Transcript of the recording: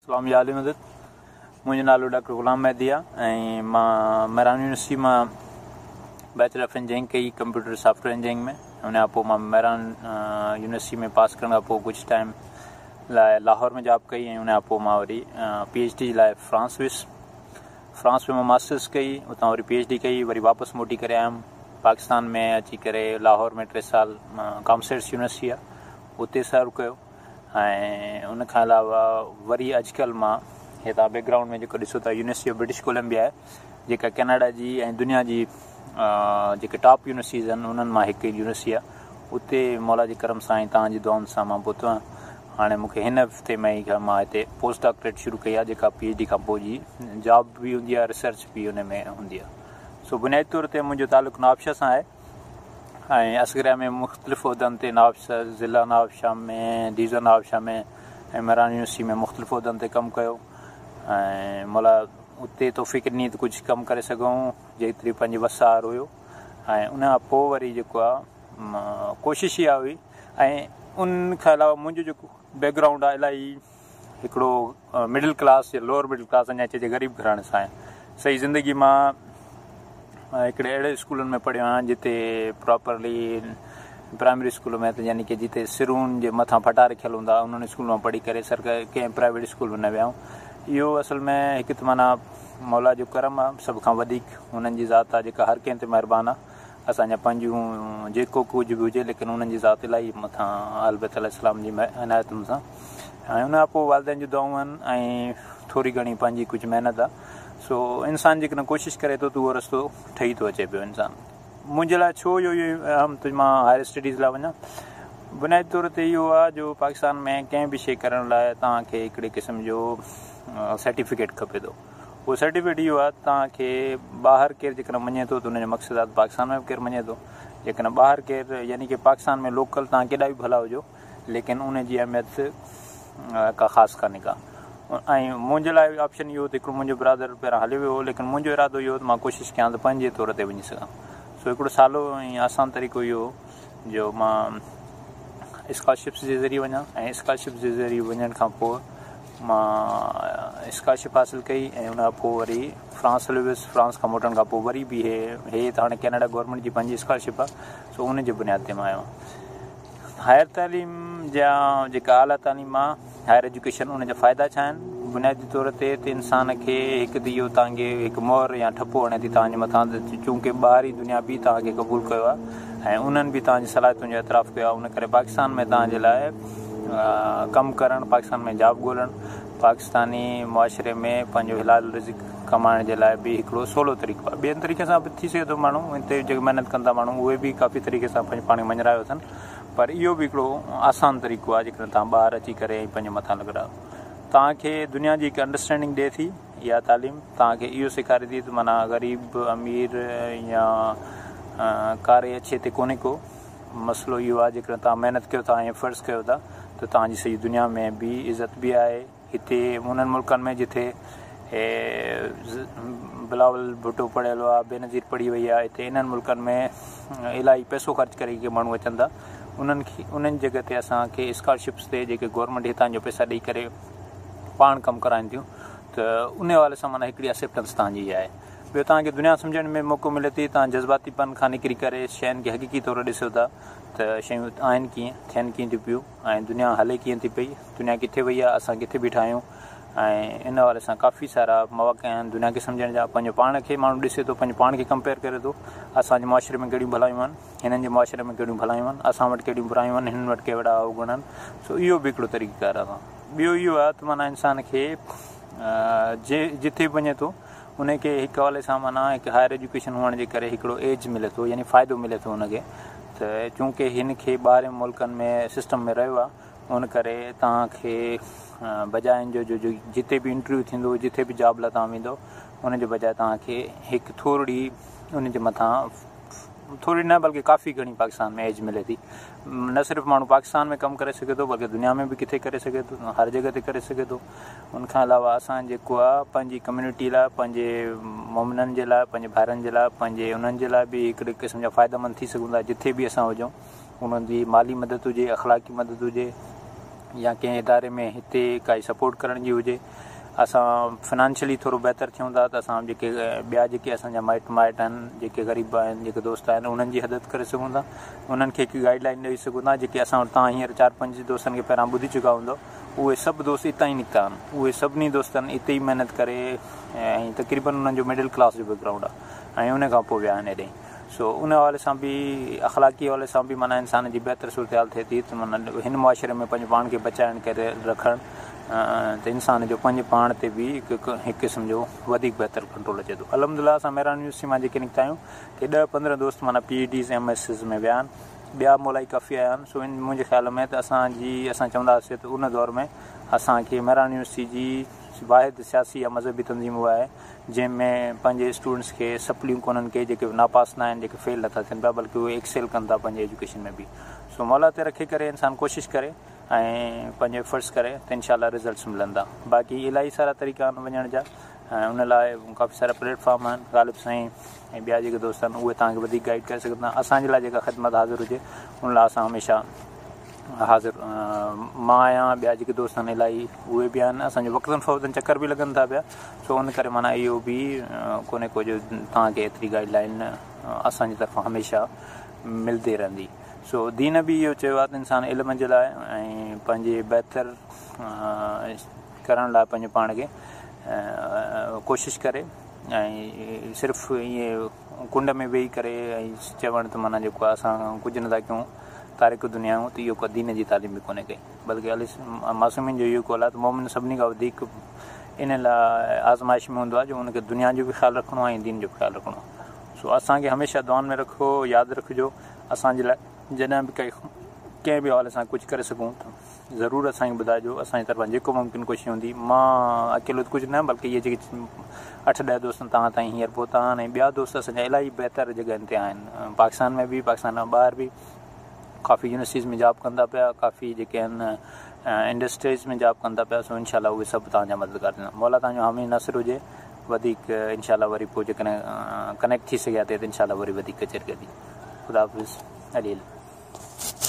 اسلام يا علي مدد. منهنجو نالو ڊاڪٽر غلام مهدي آ ۽ مان مهراڻ يونيورسٽي مان بيچلر آف انجنيئرنگ ڪئي ڪمپيوٽر سافٽ ويئر انجنيئرنگ ۾. ان کان پوء مان مهراڻ يونيورسٽي ۾ پاس ڪرڻ کان پوء ڪجهه ٽائيم لاء لاهور ۾ جاب ڪئي ۽ ان کان پوء مان وري پي ايڇ ڊي لاء فرانس ويس. فرانس ۾ مان ماسٽرس ڪئي، اتان وري پي ايڇ ڊي ڪئي، وري واپس موٽي ڪري آيم پاڪستان ۾ اچي ڪري لاهور ۾ 3 سال ڪامسيٽس يونيورسٽي آ اتي سرو ڪيو. ۽ ان کان علاوه وري اڄڪلهه مان هي توهان بيڪ گرائونڊ ۾ جيڪو ڏسو ٿا يونيورسٽي آف برٽش ڪولمبيا آهي جيڪا ڪينيڊا جي ۽ دنيا جي جيڪي ٽاپ يونيورسٽيز آهن انهن مان هڪ يونيورسٽي آهي. اتي مولا جي ڪرم سان ۽ توهان جي دعائن سان مان پهتو آهيان. هاڻي مون کي هن هفتي ۾ ئي مان هتي پوسٽ ڊاڪٽريٽ شروع ڪئي آهي جيڪا پي ايڇ ڊي کان پوء جي جاب به هوندي آهي، ريسرچ به ان ۾ هوندي آهي. سو بنيادي طور تي منهنجو تعلق نوابشاهه سان آهي ۽ عسڪريا ۾ مختلف عهدن تي نوابشاهه ضلع نوابشاهه ۾ ڊويزن نوابشاهه ۾ ۽ مهراڻ يونيورسٽي ۾ مختلف عهدن تي ڪم ڪيو ۽ مولا اتي توفيق ڏني ته ڪجهه ڪم ڪري سگهون جيتري پنهنجي وس آهر هيو. ۽ ان کان پوء وري جيڪو آهي ڪوشش اها هئي ۽ ان کان علاوه منهنجو جيڪو بيڪ گرائونڊ آهي الاهي هڪڙو مڊل ڪلاس يا لوئر مڊل ڪلاس اڃا چئجي غريب گهراڻي سان آهي. سڄي زندگي مان هڪڙي اهڙي اسڪولن ۾ پڙهيو آهيان جتي پراپرلي پرائمري اسڪول ۾ ته يعني ڪي جتي سرون جي مٿان ڦٽا رکيل هوندا انهن اسڪول مان پڙهي ڪري سرڪاري ڪنهن پرائيويٽ اسڪول ۾ نه ويا آهيون. اهو اصل ۾ هڪ ته معنيٰ مولا جو ڪرم آهي، سڀ کان وڌيڪ انهن جي ذات آهي جيڪا هر ڪنهن تي مهربان آهي. اسان جا پنهنجون جيڪو ڪجهه به هجي ليڪن انهن جي ذات الاهي مٿان اهل بيت عليه السلام جي عنايتن سان ۽ ان کان پوء والدين جون دعائون آهن ۽ ٿوري گهڻي پنهنجي ڪجهه محنت آهي. سو انسان جيڪڏهن ڪوشش ڪري ٿو ته اهو رستو ٺهي ٿو اچي پيو. انسان منهنجي لاء ڇو اهو اهم ته مان هائر اسٽڊيز لاء وڃان، بنيادي طور تي اهو آهي جو پاڪستان ۾ ڪنهن به شيء ڪرڻ لاء توهان کي هڪڙي قسم جو سرٽيفڪيٽ کپي ٿو. اهو سرٽيفڪيٽ اهو آهي ته توهان کي ٻاهر ڪير جيڪڏهن مڃي ٿو ته ان جو مقصد آهي ته پاڪستان ۾ به ڪير مڃي ٿو. جيڪڏهن ٻاهر ڪير يعني ڪي پاڪستان ۾ لوڪل توهان ڪيڏا به ڀلا هجو ليڪن ان جي اهميت ڪا خاص ڪانهي ڪا. ۽ منهنجي لاء آپشن اهو ته هڪڙو منهنجو برادر پهريان هليو ويو هو ليڪن منهنجو ارادو اهو ته مان ڪوشش ڪيان ته پنهنجي طور تي وڃي سگهان. سو هڪڙو سولو ۽ آسان طريقو اهو هو جو مان اسڪالرشپس جي ذريعي وڃان ۽ اسڪالرشپ جي ذريعي وڃڻ کان پوء مان اسڪالرشپ حاصل ڪئي ۽ ان کان پوء وري فرانس هليو ويس. فرانس کان موٽڻ کان پوء وري به هي ته هاڻي ڪينيڊا گورنمينٽ جي پنهنجي اسڪالرشپ آهي سو ان جي بنياد تي مان آيو آهيان. هائر تعليم جا جيڪا اعليٰ تعليم آهي هائر ايجوڪيشن ان جا فائدا ڇا آهن؟ بنيادي طور تي ته انسان کي هڪ ته اهو توهان کي هڪ مهر يا ٺپو هڻي ٿي توهان جي مٿان ته چونڪه ٻاهرين دنيا به توهان کي قبول ڪيو آهي ۽ انهن به توهان جي صلاحيتن جو اعتراف ڪيو آهي ان ڪري پاڪستان ۾ توهان جي لاء ڪم ڪرڻ، پاڪستان ۾ جاب ڳولڻ، پاڪستاني معاشري ۾ پنهنجو حلال رزق ڪمائڻ جي لاء به هڪڙو سولو طريقو آهي. ٻين طريقي سان به ٿي سگهي ٿو ماڻهو هتي جيڪي محنت ڪن ٿا ماڻهو اهي به ڪافي طريقي سان پنهنجو پاڻ کي مڃرايو اٿن پر اهو به هڪڙو آسان طريقو آهي جيڪڏهن توهان ٻاهر اچي ڪري ۽ پنهنجي مٿان لڳرايو. توهان کي دنيا جي هڪ انڊرسٽينڊنگ ڏئي ٿي اها تعليم توهان کي اهو سيکاري ٿي ته معنيٰ غريب امير يا ڪاري اڇي تي ڪونهي ڪو مسئلو اهو آهي جيڪڏهن توهان محنت ڪيو ٿا ۽ فرض ڪيو ٿا ته توهان جي سڄي دنيا ۾ به عزت به آهي. هتي انهن ملڪن ۾ جتي بلاول ڀٽو پڙهيل آهي، بينظير پڙهي وئي آهي، هتي انهن ملڪن ۾ الاهي پئسو خرچ ڪري ڪي ماڻهو اچن ٿا انهن کي انهن جڳهه تي اسان کي اسڪالرشپس تي جيڪي گورنمينٽ هتان جو پئسا ڏئي ڪري پاڻ ڪم ڪرائين ٿيون ته ان حوالي سان معنيٰ هڪڙي اڪسيپٽنس توهان جي آهي. ٻيو توهان کي دنيا سمجهڻ ۾ موقعو ملي ٿي، توهان جذباتي پن کان نڪري ڪري شين کي حقيقي طور ڏسو ٿا ته شيون آهن ڪيئن، ٿين ڪيئن ٿيون پيون ۽ دنيا هلي ڪيئن ٿي پئي، دنيا ڪٿي وئي آهي، اسان ڪٿي بيٺا آهيون ۽ ان حوالي سان ڪافي سارا مواقع آهن دنيا کي سمجهڻ جا. پنهنجو پاڻ کي ماڻهو ڏسي ٿو، پنهنجو پاڻ کي ڪمپيئر ڪري ٿو، اسان جي معاشري ۾ ڪهڙيون ڀلايون آهن، هنن جي معاشري ۾ ڪهڙيون ڀلايون آهن، اسان وٽ ڪهڙيون برايون آهن، هنن وٽ ڪهڙا اوگڻ آهن. سو اهو به هڪڙو طريقيڪار آهي. ٻيو اهو آهي ته معنيٰ انسان کي جتي به وڃي ٿو ان کي هڪ حوالي سان معنيٰ هڪ هائر ايجوڪيشن هئڻ جي ڪري هڪڙو ايج ملي ٿو يعني فائدو ملي ٿو ان کي ته چونڪه هن کي ٻاهرين ملڪن ۾ سسٽم ۾ رهيو آهي ان ڪري توهان کي بجاء ان جو جو جتي به انٽرويو ٿيندو جتي به جاب لاء توهان ويندو ان جي بجاء توهان کي هڪ ٿورڙي ان جي مٿان ٿوري نه بلڪه ڪافي گهڻي پاڪستان ۾ ايج ملي ٿي. نه صرف ماڻهو پاڪستان ۾ ڪم ڪري سگهي ٿو بلڪه دنيا ۾ به ڪٿي ڪري سگهي ٿو، هر جڳهه تي ڪري سگهي ٿو. ان کان علاوه اسان جيڪو آ پنهنجي ڪميونٽي لاء پنهنجي مومنن جي لاء پنهنجي ڀائرن جي لاء پنهنجي انهن جي لاء به هڪڙي قسم جا فائده مند ٿي سگهون ٿا جٿي به اسان هجون انهن جي مالي مدد هجي اخلاقي مدد هجي يا ڪنهن اداري ۾ هتي ڪائي سپورٽ ڪرڻ جي هجي اسان فنانشلي ٿورو بهتر ٿيون ٿا ته اسان جيڪي ٻيا جيڪي اسان جا مائٽ مائٽ آهن جيڪي غريب آهن جيڪي دوست آهن انهن جي هدت ڪري سگهون ٿا انهن کي هڪ گائيڊ لائن ڏئي سگهون ٿا جيڪي اسان وٽ توهان هينئر چار پنج دوستن کي پهريان ٻڌي چڪا هوندؤ اهي سڀ دوست اتان ئي نڪتا آهن اهي سڀني دوستن اتي ئي محنت ڪري ۽ تقريبن انهن جو مڊل ڪلاس جو بيڪ گرائونڊ آهي ۽ ان کان پوء ويا آهن هيڏي سو ان حوالي سان به اخلاقي حوالي سان به معنيٰ انسان جي بهتر صورتحال ٿئي ٿي ته معنيٰ هن معاشري ۾ پنهنجو پاڻ کي بچائڻ ڪري رکڻ ته انسان جو پنهنجي پاڻ تي به هڪ قسم جو وڌيڪ بهتر ڪنٽرول اچي ٿو. الحمدلله اسان مهراڻ يونيورسٽي مان جيڪي نڪتا آهيون ڪي ڏهه 15 دوست معنيٰ پي ايڇ ڊيز ايم ايسز ۾ ويا آهن ٻيا مولائي ڪافي آيا آهن سو ان منهنجي خيال ۾ ته اسان جي اسان چوندا هئاسي ته ان دور ۾ اسان کي مهراڻ يونيورسٽي جي واحد سياسي يا مذهبي تنظيم اها آهي جنهن ۾ پنهنجي اسٽوڊنٽس کي سپليون ڪونهن ڪي جيڪي ناپاس ناهن جيڪي فيل نٿا ٿين پيا بلڪه اهي ايڪسيل ڪن ٿا پنهنجي ايجوڪيشن ۾ به سو مولا تي رکي ڪري انسان ڪوشش ڪري ۽ پنهنجو ايفرٽس ڪري ته انشاء الله رزلٽس ملندا باقي الاهي سارا طريقا آهن وڃڻ جا ۽ ان لاء ڪافي سارا پليٽ فارم آهن غالب سائين ۽ ٻيا جيڪي دوست آهن اهي توهان کي وڌيڪ گائيڊ ڪري سگهن ٿا اسان جي لاء جيڪا خدمت حاضر هجي ان لاء اسان هميشه حاضر مان آهيان ٻيا جيڪي دوست آهن الاهي اهي به آهن اسان جو وقتن فوقتن چڪر به لڳن ٿا پيا سو ان ڪري معنيٰ اهو به ڪونهي ڪو جو توهان کي ايتري گائيڊ لائن اسان جي طرفان هميشه ملندي رهندي سو دين به اهو چيو آهي ته انسان علم جي لاء ۽ پنهنجي بهتر ڪرڻ لاء پنهنجو پاڻ کي ڪوشش ڪري ۽ صرف ائين ڪنڊ ۾ ويهي ڪري ۽ چوڻ ته معنيٰ جيڪو آهي اسان ڪجهه نٿا ڪيون تارڪ دنيا آهيون ته اهو ڪو دين جي تعليم به ڪونهي ڪئي بلڪه علي معصومين جو اهو قول آهي ته مومن سڀني کان وڌيڪ ان لاء آزمائش ۾ هوندو آهي جو ان کي دنيا جو به خيال رکڻو آهي ۽ دين جو به خيال رکڻو آهي سو اسان کي هميشه دعائن ۾ رکو ياد رکجو اسان جي لاء جڏهن به ڪنهن به حوالي سان ڪجهه ڪري سگهون ته ضرور اسان کي ٻڌائجو اسان جي طرفان جيڪو ممڪن ڪوشش هوندي مان اڪيلو ته ڪجهه نه بلڪه اهي جيڪي 8 10 دوست توهان تائين هينئر پهتا آهن ۽ ٻيا دوست اسان جا الاهي بهتر جڳهن تي آهن پاڪستان ۾ به پاڪستان کان ٻاهر به ڪافي يونيورسٽيز ۾ جاب ڪن ٿا پيا ڪافي جيڪي آهن انڊسٽريز ۾ جاب ڪن ٿا پيا سو انشاء الله اهي سڀ توهان جا مددگار ٿيندا مولا توهان جو حامي ناصر هجي وڌيڪ انشاء الله وري پوء جيڪڏهن ڪنيڪٽ ٿي سگهيا ته انشاء الله وري وڌيڪ ڪچهري ڪبي خدا حافظ علي علي.